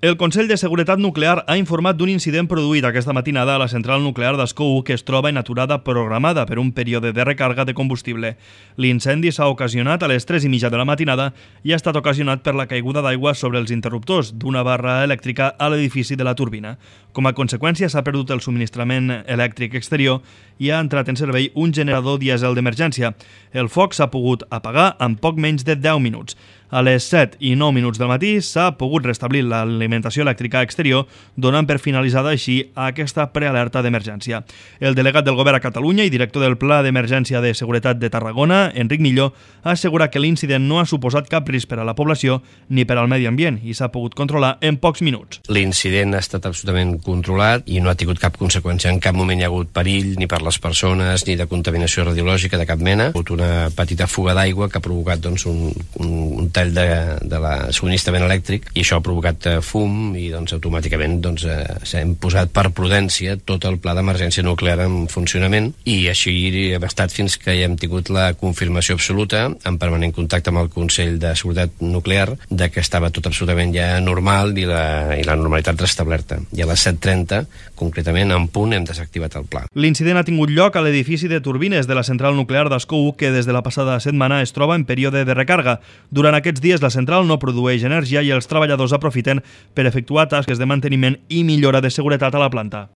El Consell de Seguretat Nuclear ha informat d'un incident produït aquesta matinada a la central nuclear d'Ascó 1 que es troba en aturada programada per un període de recàrrega de combustible. L'incendi s'ha ocasionat a les 3:30 de la matinada i ha estat ocasionat per la caiguda d'aigua sobre els interruptors d'una barra elèctrica a l'edifici de la turbina. Com a conseqüència s'ha perdut el subministrament elèctric exterior i ha entrat en servei un generador dièsel d'emergència. El foc s'ha pogut apagar en poc menys de 10 minuts. A les 7:09 del matí s'ha pogut restablir l'alimentació elèctrica exterior, donant per finalitzada així aquesta prealerta d'emergència. El delegat del Govern a Catalunya i director del Pla d'Emergència de Seguretat de Tarragona, Enric Milló, assegura que l'incident no ha suposat cap risc per a la població ni per al medi ambient i s'ha pogut controlar en pocs minuts. L'incident ha estat absolutament controlat i no ha tingut cap conseqüència. En cap moment hi ha hagut perill ni per les persones ni de contaminació radiològica de cap mena. Ha hagut una petita fuga d'aigua que ha provocat un tall de la subministrament elèctric i això ha provocat fum i automàticament s'hem posat per prudència tot el pla d'emergència nuclear en funcionament i així hem estat fins que hem tingut la confirmació absoluta en permanent contacte amb el Consell de Seguretat Nuclear de que estava tot absolutament ja normal i la normalitat restablerta. I a les 7:30, concretament en punt, hem desactivat el pla. L'incident ha tingut lloc a l'edifici de turbines de la central nuclear d'Ascó 1 que des de la passada setmana es troba en període de recàrrega. Durant aquests dies la central no produeix energia i els treballadors aprofiten per efectuar tasques de manteniment i millora de seguretat a la planta.